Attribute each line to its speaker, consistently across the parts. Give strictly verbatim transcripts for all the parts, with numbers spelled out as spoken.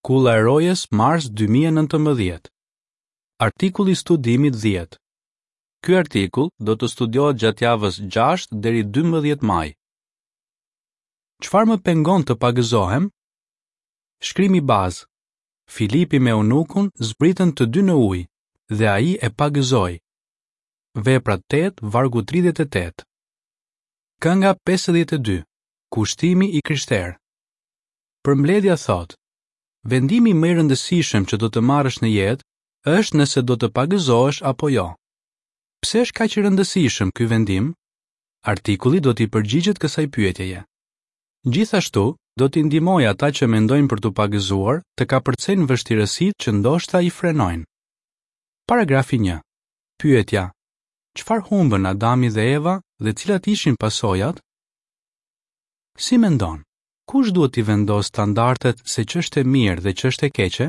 Speaker 1: Kulla e Rojës, mars dy mijë e nëntëmbëdhjetë. Artikulli i studimit dhjetë. Ky artikull do të studiohet gjatë javës gjashtë deri dymbëdhjetë maj. Çfarë më pengon të pagëzohem? Shkrimi bazë. Filipi me eunukun zbritën të dy në ujë dhe ai e pagëzoi. Veprat tetë, vargu tridhjetë e tetë. Kënga pesëdhjetë e dy. Kushtimi i krishterë. Përmbledhja thotë: Vendimi më i rëndësishëm që do të marrësh në jetë është nëse do të pagëzohesh apo jo. Pse është kaq i rëndësishëm ky vendim? Artikulli do t'i përgjigjet kësaj pyetjeje. Gjithashtu, do t'i ndihmojë ata që mendojnë për t'u pagëzuar të kapërcejnë vështirësitë që ndoshta i frenojnë. Paragrafi një. Pyetja: Çfarë humbën Adami dhe Eva dhe cilat ishin pasojat? Si mendon? Kush duhet t'i vendosë standardet se ç'është e mirë dhe ç'është e keqe?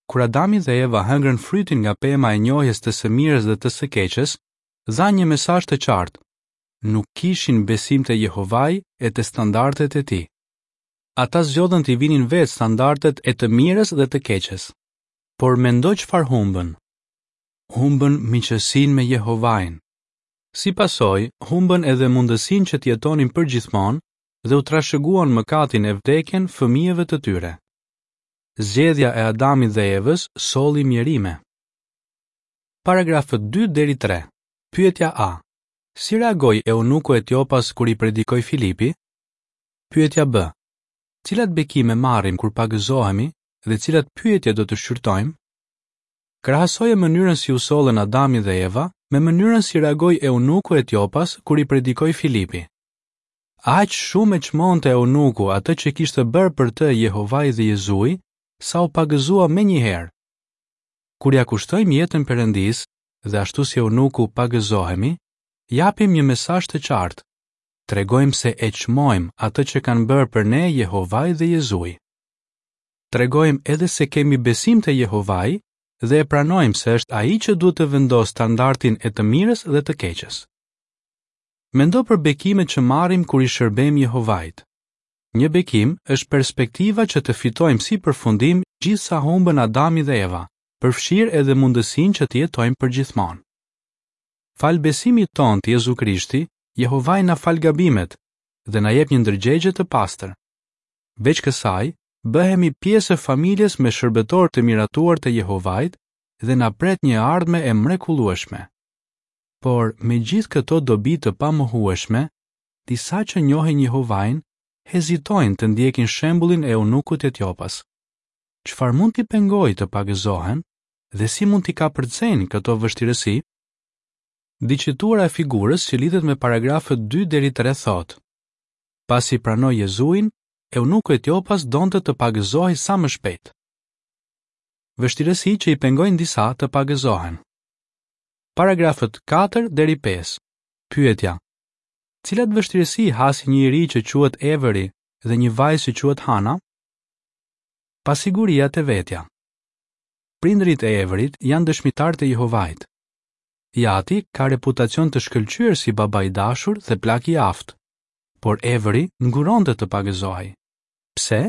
Speaker 1: Kur Adami dhe Eva hëngrën frytin nga pema e njohjes të së mirës dhe të së keqes, dhanë një mesazh të qartë. Nuk kishin besim te Jehovai e te standardet e tij. Ata zgjodhën t'i vinin vetë standardet e të mirës dhe të keqes. Por mendo çfarë humbën. Humbën miqësinë me Jehovain. Si pasojë, humbën edhe mundësinë që të jetonin përgjithmonë dhe u trashëguan mëkatin e vdekjen fëmijëve të tyre. Zgjedhja e Adamit dhe Evës solli mjerime. Paragrafët dy deri tre. Pyetja A. Si reagoi eunuku etiopas kur i predikoi Filipi? Pyetja B. Cilat bekime marrim kur pagëzohemi dhe cilat pyetje do të shqyrtojmë? Krahasoje mënyrën si u sollën Adami dhe Eva me mënyrën si reagoi eunuku etiopas kur i predikoi Filipi. Aq shumë e çmonte eunuku atë që kishte bërë për të Jehovai dhe Jezui, sa u pagëzua menjëherë. Kur ja kushtojmë jetën Perëndisë dhe ashtu si eunuku pagëzohemi, japim një mesazh të qartë. Tregojmë se e çmojmë atë që kanë bërë për ne Jehovai dhe Jezui. Tregojmë edhe se kemi besim te Jehovai dhe e pranojmë se është ai që duhet të vendosë standardin e të mirës dhe të keqes. Mendo për bekimet që marrim kur i shërbejmë Jehovait. Një bekim është perspektiva që të fitojmë si përfundim gjithë sa humbën Adami dhe Eva, përfshirë edhe mundësinë që të jetojmë përgjithmonë. Fal besimit tonë te Jezu Krishti, Jehovai na fal gabimet dhe na jep një ndërgjegje të pastër. Veç kësaj, bëhemi pjesë e familjes me shërbëtor të miratuar të Jehovait dhe na pret një ardhme e mrekullueshme. Por, me gjithë këto dobi të pamohueshme, disa që njohin Jehovain hezitojnë të ndjekin shembullin e eunukut etiopas. Çfarë mund t'i pengojë të pagëzohen dhe si mund t'i kapërcejnë këto vështirësi? Diçitura e figurës që lidhet me paragrafët dy deri tre thotë: Pasi pranoi Jezuin, eunuku etiopas donte të pagëzohej sa më shpejt. Vështirësi që i pengojnë disa të pagëzohen. Paragrafët katër deri pesë. Pyetja: Cilat vështirësi hasi një i ri që quhet Avery dhe një vajzë që quhet Hana? Pasiguria te vetja. Prindërit e Averyt janë dëshmitarë të Jehovait. I ati ka reputacion të shkëlqyer si baba i dashur dhe plak i aftë, por Avery nguronte të pagëzohej. Pse?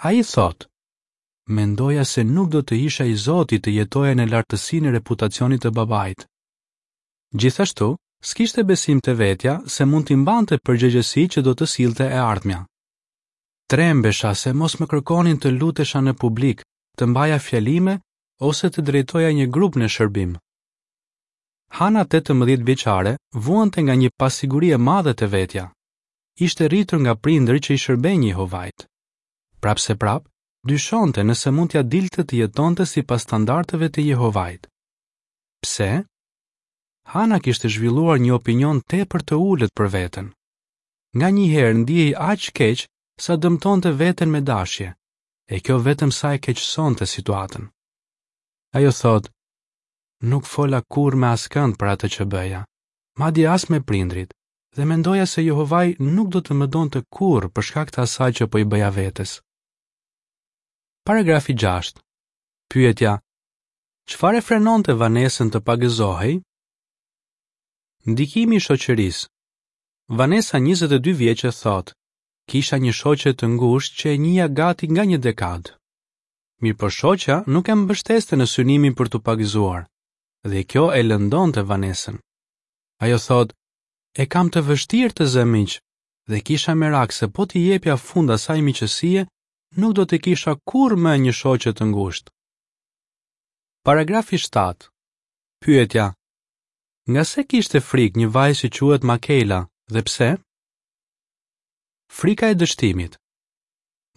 Speaker 1: Ai thotë: Mendoja se nuk do të isha i zoti të jetoja në lartësinë e reputacionit të babait. Gjithashtu, s'kishte besim te vetja se mund t'i mbante përgjegjësi që do të sillte e ardhmja. Trembesha se mos më kërkonin të lutesha në publik, të mbaja fjalime ose të drejtoja një grup në shërbim. Hana tetëmbëdhjetë vjeçare vuante nga një pasiguri e madhe te vetja. Ishte rritur nga prindër që i shërbejnë Jehovait. Prapseprap, dyshonte nëse mund t'ia dilte të jetonte sipas standardeve të Jehovait. Pse? Hana kishte zhvilluar një opinion tepër të ulët për veten. Nga një herë ndihej aq keq sa dëmtonte veten me dashje, e kjo vetëm sa e keqësonte situatën. Ajo thotë: Nuk fola kurrë me askënd për atë që bëja, madje as me prindrit, dhe mendoja se Jehovai nuk do të më donte kurrë për shkak të asaj që po i bëja vetes. Paragrafi gjashtë. Pyetja: Çfarë e frenonte Vanesën të pagëzohej? Ndikimi i shoqërisë. Vanessa njëzet e dy vjeçe thotë: Kisha një shoqe të ngushtë që e njihja gati nga një dekadë. Mirëpo shoqja nuk e mbështeste në synimin për t'u pagëzuar, dhe kjo e lëndonte Vanesën. Ajo thotë, e kam të vështirë të zë miq, dhe kisha merak se po t'i jepja fund asaj miqësie, nuk do të kisha kurrë më një shoqe të ngushtë. Paragrafi shtatë. Pyetja: Nga se kishte frikë një vajzë që quhet Makela dhe pse? Frika e dështimit.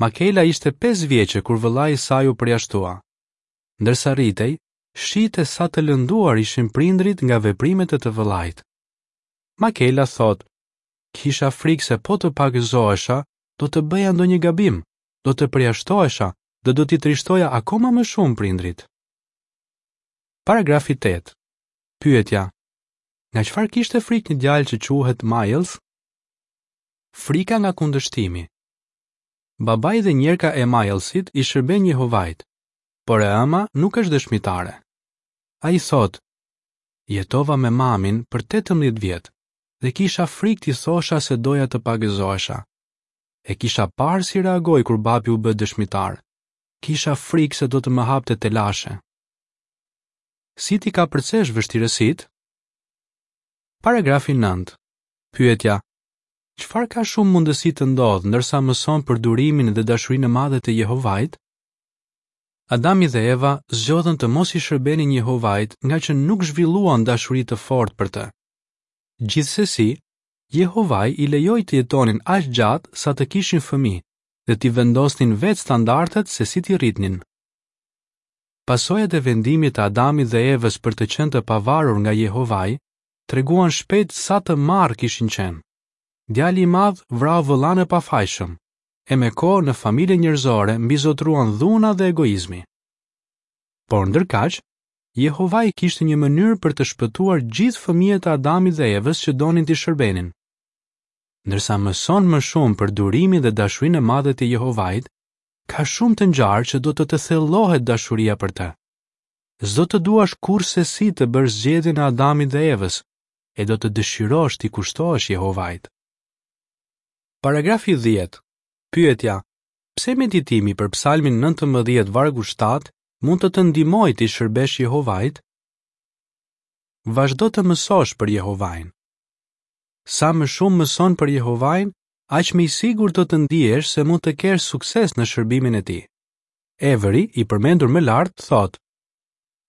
Speaker 1: Makela ishte pesë vjeçe kur vëllai i saj u përjashtua. Ndërsa rritej, shihte sa të lënduar ishin prindrit nga veprimet e të vëllait. Makela thotë, kisha frikë se po të pagëzohesha, do të bëja ndonjë gabim, do të përjashtohesha dhe do t'i trishtoja akoma më shumë prindrit. Paragrafi tetë. Pyetja: Nga çfarë kishte frikë një djalë që quhet Miles? Frika nga kundërshtimi. Babai dhe njerka e Milesit i shërben Jehovait, por e ëma nuk është dëshmitare. Ai thotë, jetova me mamin për tetëmbëdhjetë vjet dhe kisha frikë t'i thosha se doja të pagëzohesha. E kisha parë si reagoi kur babi u bë dëshmitar. Kisha frikë se do të më hapte telashe. Si t'i kapërcesh vështirësitë? Paragrafi nëntë. Pyetja: Çfarë ka shumë mundësi të ndodhë ndërsa mëson për durimin dhe dashurinë e madhe të Jehovait? Adami dhe Eva zgjodhën të mos i shërbenin Jehovait nga që nuk zhvilluan dashuri të fortë për të. Gjithsesi, Jehovai i lejoi të jetonin aq gjatë sa të kishin fëmijë dhe t'i vendosnin vetë standardet se si t'i rritnin. Pasojat e vendimit të Adamit dhe Evës për të qenë të pavarur nga Jehovai treguan shpejt sa të marrë kishin qenë. Djali i madh vrau vëllanë e pafajshëm, e me kohë në familjen njerëzore mbizotruan dhuna dhe egoizmi. Por ndërkaq, Jehovai kishte një mënyrë për të shpëtuar gjithë fëmijët e Adamit dhe Evës që donin t'i shërbenin. Ndërsa mëson më shumë për durimin dhe dashurinë e madhe të Jehovait, ka shumë të ngjarë që do të të thellohet dashuria për të. S'do të duash kurrsesi të bësh zgjedhjen e Adamit dhe Evës, e do të dëshirosh t'i kushtohesh Jehovait. Paragrafi dhjetë. Pyetja: Pse meditimi për Psalmin nëntëmbëdhjetë vargu shtatë mund të të ndihmojë t'i shërbesh Jehovait? Vazhdo të mësosh për Jehovain. Sa më shumë mëson për Jehovain, aq më i sigurt do të ndihesh se mund të kesh sukses në shërbimin e tij. Avery, i përmendur më lart, thotë: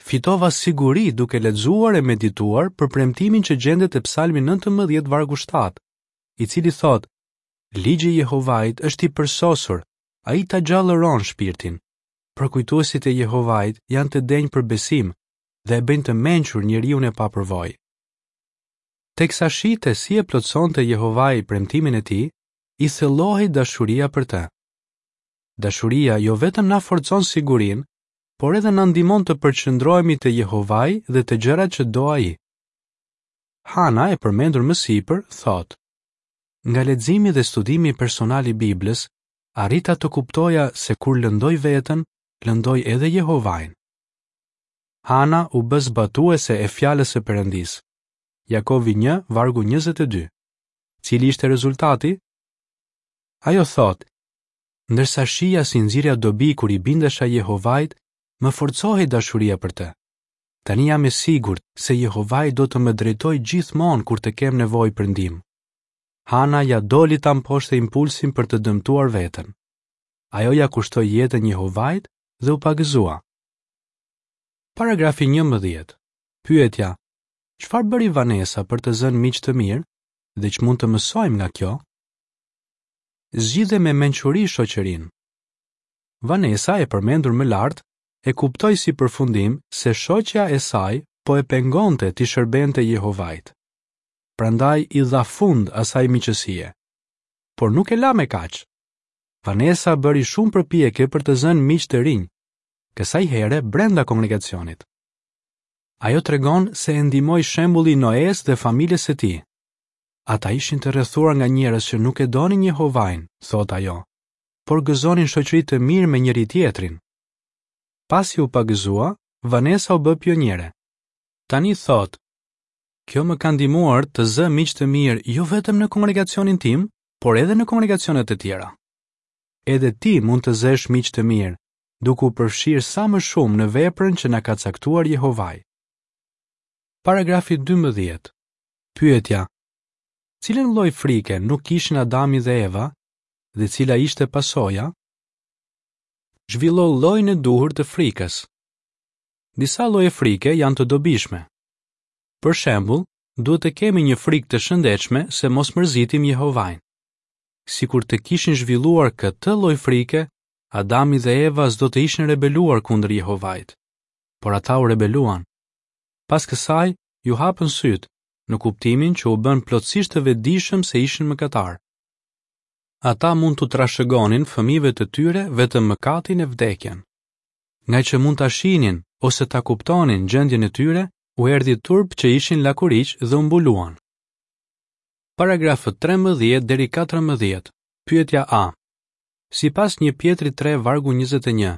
Speaker 1: Fitova siguri duke lexuar e medituar për premtimin që gjendet te Psalmi nëntëmbëdhjetë vargu shtatë, i cili thotë: Ligji i Jehovait është i përsosur, ai ta gjallëron shpirtin. Përkujtuesit e Jehovait janë të denjë për besim dhe e bëjnë të mençur njeriu e papërvojë. Teksa shihte si e plotësonte Jehovai premtimin e tij, i thellohej dashuria për të. Dashuria jo vetëm na forcon sigurinë, por edhe na ndihmon të përqendrohemi te Jehovai dhe te gjërat që do ai. Hana, e përmendur më sipër, thotë: Nga leximi dhe studimi personal i Biblës, arrita të kuptoja se kur lëndoj veten, lëndoj edhe Jehovain. Hana u bë zbatuese e fjalës së Perëndisë. Jakovi një, vargu njëzet e dy. Cili ishte rezultati? Ajo thotë: Ndërsa shija si nxirja dobi kur i bindesha Jehovait, më forcohej dashuria për të. Tani jam e sigurt se Jehovai do të më drejtojë gjithmonë kur të kem nevojë për ndihmë. Hana ja doli ta mposhte impulsin për të dëmtuar veten. Ajo ja kushtoi jetën Jehovait dhe u pagëzua. Paragrafi njëmbëdhjetë. Pyetja: Çfarë bëri Vanessa për të zënë miq të mirë dhe ç'mund të mësojmë nga kjo? Zgjidhe me mençuri shoqërinë. Vanessa, e përmendur më lart, e kuptoi si përfundim se shoqja e saj po e pengonte t'i shërbente Jehovait. Prandaj i dha fund asaj miqësie. Por nuk e la me kaq. Vanessa bëri shumë përpjekje për të zënë miq të rinj, kësaj here brenda kongregacionit. Ajo tregon se e ndihmoi shembulli i Noes dhe familjes së tij. Ata ishin të rrethuar nga njerëz që nuk e donin Jehovain, thot ajo, por gëzonin shoqëri të mirë me njëri tjetrin. Pasi u pagëzua, Vanessa u bë pioniere. Tani thot: Kjo më ka ndihmuar të zë miq të mirë jo vetëm në kongregacionin tim, por edhe në kongregacionet e tjera. Edhe ti mund të zësh miq të mirë, duke u përfshirë sa më shumë në veprën që na ka caktuar Jehovai. Paragrafi dymbëdhjetë. Pyetja: Cilën lloj frike nuk kishin Adami dhe Eva dhe cila ishte pasoja? Zhvillo llojin e duhur të frikës. Disa lloje frike janë të dobishme. Për shembull, duhet të kemi një frikë të shëndetshme se mos mërzitim Jehovain. Sikur të kishin zhvilluar këtë lloj frike, Adami dhe Eva s'do të ishin rebeluar kundër Jehovait. Por ata u rebeluan. Pas kësaj, ju hapën sytë, në kuptimin që u bën plotësisht të vetëdijshëm se ishin mëkatar. Ata mund t'u trashëgonin fëmijëve të tyre vetëm mëkatin e vdekjen. Nga që mund ta shihnin ose ta kuptonin gjendjen e tyre, u erdhi turp që ishin lakuriq dhe u mbuluan. Paragrafët trembëdhjetë deri katërmbëdhjetë. Pyetja A. Sipas një Pjetri tre vargu njëzet e një,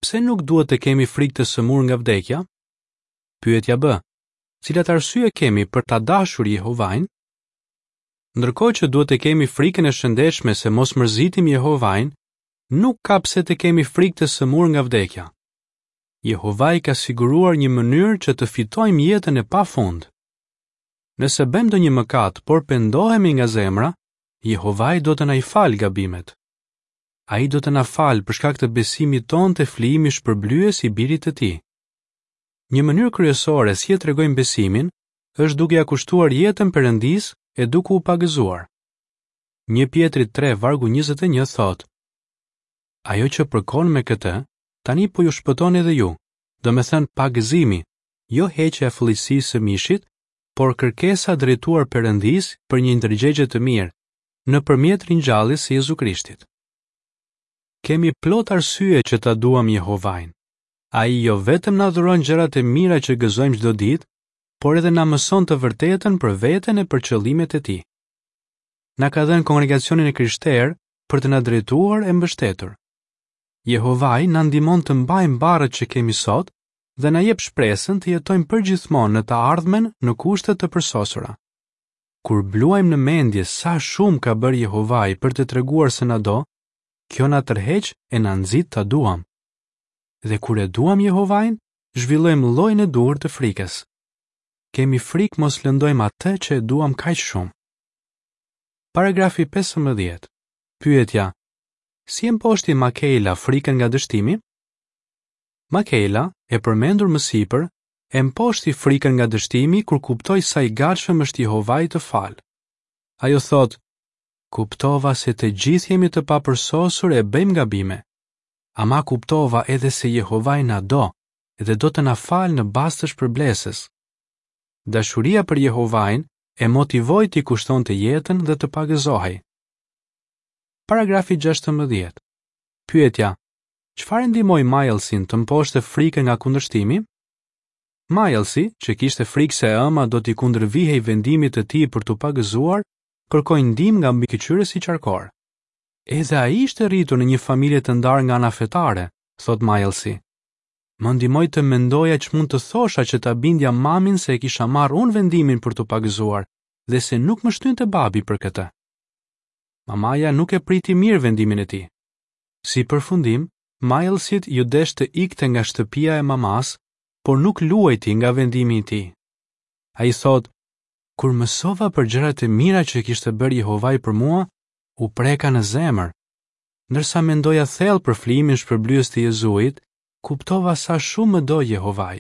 Speaker 1: pse nuk duhet të kemi frikë të sëmurë nga vdekja? Pyetja B. Cilat arsye kemi për ta dashur Jehovain? Ndërkohë që duhet të kemi frikën e shëndetshme se mos mërzitim Jehovain, nuk ka pse të kemi frikë të sëmurë nga vdekja. Jehovai ka siguruar një mënyrë që të fitojmë jetën e pafund. Nëse bëjmë ndonjë mëkat, por pendohemi nga zemra, Jehovai do të na i falë gabimet. Ai do të na falë për shkak të besimit tonë te flijimi shpërblyes i birit të tij. Një mënyrë kryesore si e tregojmë besimin është duke ia kushtuar jetën Perëndisë e duke u pagëzuar. Një Pjetri tre vargu njëzet e një thotë: Ajo që përkon me këtë, tani po ju shpëton edhe ju, do me thënë pagëzimi, jo heqja e fëlliqësisë së mishit, por kërkesa drejtuar Perëndisë për një ndërgjegje të mirë, nëpërmjet ringjalljes së Jezu Krishtit. Kemi plot arsye që ta duam Jehovain. Ai jo vetëm na dhuron gjërat e mira që gëzojmë çdo ditë, por edhe na mëson të vërtetën për veten e për qëllimet e tij. Na ka dhënë kongregacionin e krishterë për të na drejtuar e mbështetur. Jehovai na ndihmon të mbajmë barrët që kemi sot dhe na jep shpresën të jetojmë përgjithmonë në të ardhmen në kushte të përsosura. Kur bluajmë në mendje sa shumë ka bërë Jehovai për të treguar se na do, kjo na tërheq e na nxit ta duam. Dhe kur e duam Jehovain, zhvillojmë llojin e duhur të frikës. Kemi frikë mos lëndojmë atë që e duam kaq shumë. Paragrafi pesëmbëdhjetë. Pyetja: Si e mposhti Makela frikën nga dështimi? Makela, e përmendur më sipër, e mposhti frikën nga dështimi kur kuptoi sa i gatshëm është Jehovai të fal. Ajo thotë: Kuptova se të gjithë jemi të papërsosur e bëjmë gabime. Ama kuptova edhe se Jehovai na do dhe do të na falë në bazë të shpërblesës. Dashuria për Jehovain e motivoi t'i kushtonte jetën dhe të pagëzohej. Paragrafi gjashtëmbëdhjetë. Pyetja: Çfarë ndihmoi Milesin të mposhte frikën nga kundërshtimi? Milesi, që kishte frikë se e ëma do t'i kundërvihej vendimit të tij për t'u pagëzuar, kërkoi ndihmë nga mbikëqyrësi qarkor. Edhe ai ishte rritur në një familje të ndarë nga ana fetare, thot Milesi. Më ndihmoi të mendoja ç'mund të thosha që ta bindja mamin se e kisha marrë unë vendimin për t'u pagëzuar dhe se nuk më shtynte babi për këtë. Mamaja nuk e priti mirë vendimin e tij. Si përfundim, Milesit ju desh të ikte nga shtëpia e mamas, por nuk luajti nga vendimi i tij. Ai thot: Kur mësova për gjërat e mira që kishte bërë Jehovai për mua, u preka në zemër. Ndërsa mendoja thellë për flijimin shpërblyes të Jezuit, kuptova sa shumë më do Jehovai.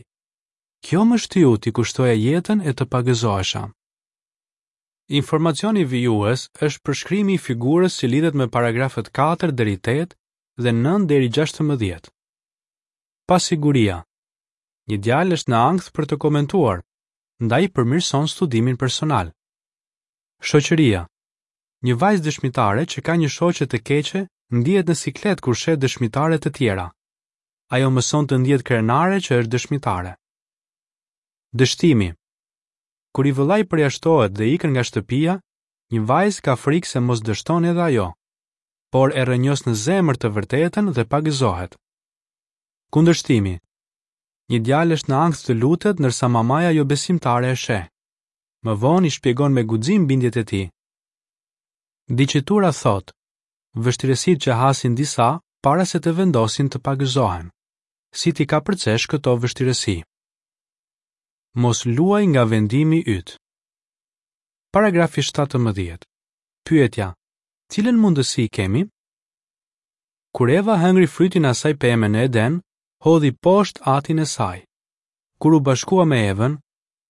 Speaker 1: Kjo më shtyu t'i kushtoja jetën e të pagëzohesha. Informacioni vijues është përshkrimi i figurës që lidhet me paragrafët katër deri tetë dhe nëntë deri gjashtëmbëdhjetë. Pasiguria. Një djalë është në ankth për të komentuar, ndaj përmirëson studimin personal. Shoqëria. Një vajzë dëshmitare që ka një shoqe të keqe ndihet në siklet kur sheh dëshmitare të tjera. Ajo mëson të ndihet krenare që është dëshmitare. Dështimi. Kur i vëllai përjashtohet dhe ikën nga shtëpia, një vajzë ka frikë se mos dështon edhe ajo, por e rrënjos në zemër të vërtetën dhe pagëzohet. Kundërshtimi. Një djalë është në ankth të lutet ndërsa mamaja jo besimtare e sheh. Më vonë i shpjegon me guxim bindjet e tij. Diçitura thotë: Vështirësitë që hasin disa para se të vendosin të pagëzohen. Si t'i kapërcesh këto vështirësi? Mos luaj nga vendimi yt. Paragrafi shtatëmbëdhjetë. Pyetja: Cilën mundësi kemi? Kur Eva hëngri frytin e asaj peme në Eden, hodhi poshtë atin e saj. Kur u bashkua me Evën,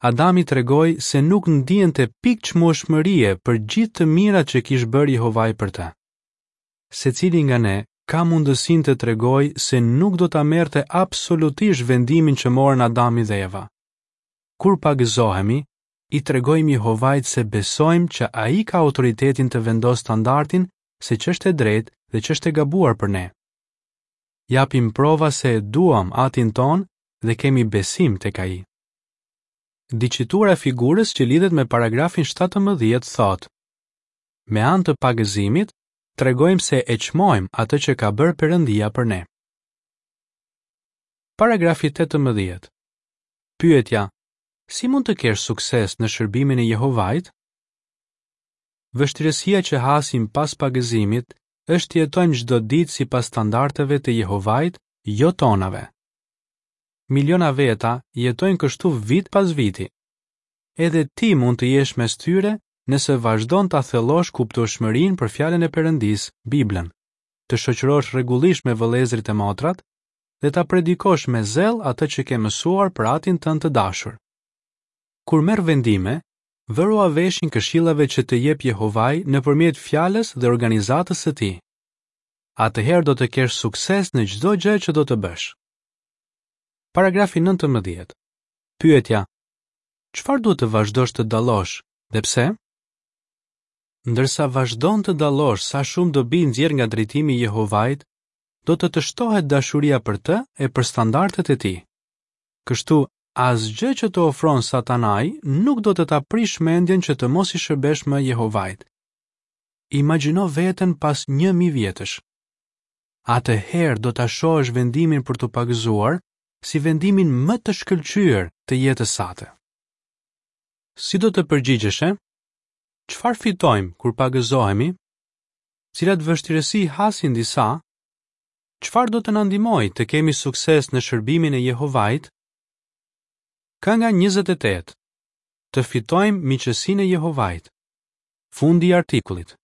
Speaker 1: Adami tregoi se nuk ndiente pikë çmueshmërie për gjithë të mirat që kish bërë Jehovai për të. Secili nga ne ka mundësinë të tregojë se nuk do ta merrte absolutisht vendimin që morën Adami dhe Eva. Kur pagëzohemi, i tregojmë Jehovait se besojmë që ai ka autoritetin të vendosë standardin se ç'është e drejtë dhe ç'është e gabuar për ne. Japim prova se e duam atin tonë dhe kemi besim tek ai. Diçitura e figurës që lidhet me paragrafin shtatëmbëdhjetë thotë: Me anë të pagëzimit, tregojmë se e çmojmë atë që ka bërë Perëndia për ne. Paragrafi tetëmbëdhjetë. Pyetja: Si mund të kesh sukses në shërbimin e Jehovait? Vështirësia që hasim pas pagëzimit është të jetojmë çdo ditë sipas standardeve të Jehovait, jo tonave. Miliona veta jetojnë kështu vit pas viti. Edhe ti mund të jesh mes tyre nëse vazhdon ta thellosh kuptueshmërinë për fjalën e Perëndisë, Biblën, të shoqërosh rregullisht me vëllezërit e motrat dhe ta predikosh me zell atë që ke mësuar për atin tënd të dashur. Kur merr vendime, vërua veshin këshillave që të jep Jehovai nëpërmjet fjalës dhe organizatës së tij. Atëherë do të kesh sukses në çdo gjë që do të bësh. Paragrafi nëntëmbëdhjetë. Pyetja: Çfarë duhet të vazhdosh të dallosh dhe pse? Ndërsa vazhdon të dallosh sa shumë dobi nxjerr nga drejtimi i Jehovait, do të të shtohet dashuria për të e për standardet e tij. Kështu, asgjë që të ofron Satanai nuk do të ta prish mendjen që të mos i shërbesh më Jehovait. Imagjino veten pas një mijë vjetësh. Atëherë do ta shohësh vendimin për t'u pagëzuar si vendimin më të shkëlqyer të jetës sate. Si do të përgjigjeshe? Çfarë fitojmë kur pagëzohemi? Cilat vështirësi hasin disa? Çfarë do të na ndihmojë të kemi sukses në shërbimin e Jehovait? Kënga njëzet e tetë. Të fitojmë miqësinë e Jehovait. Fundi i artikullit.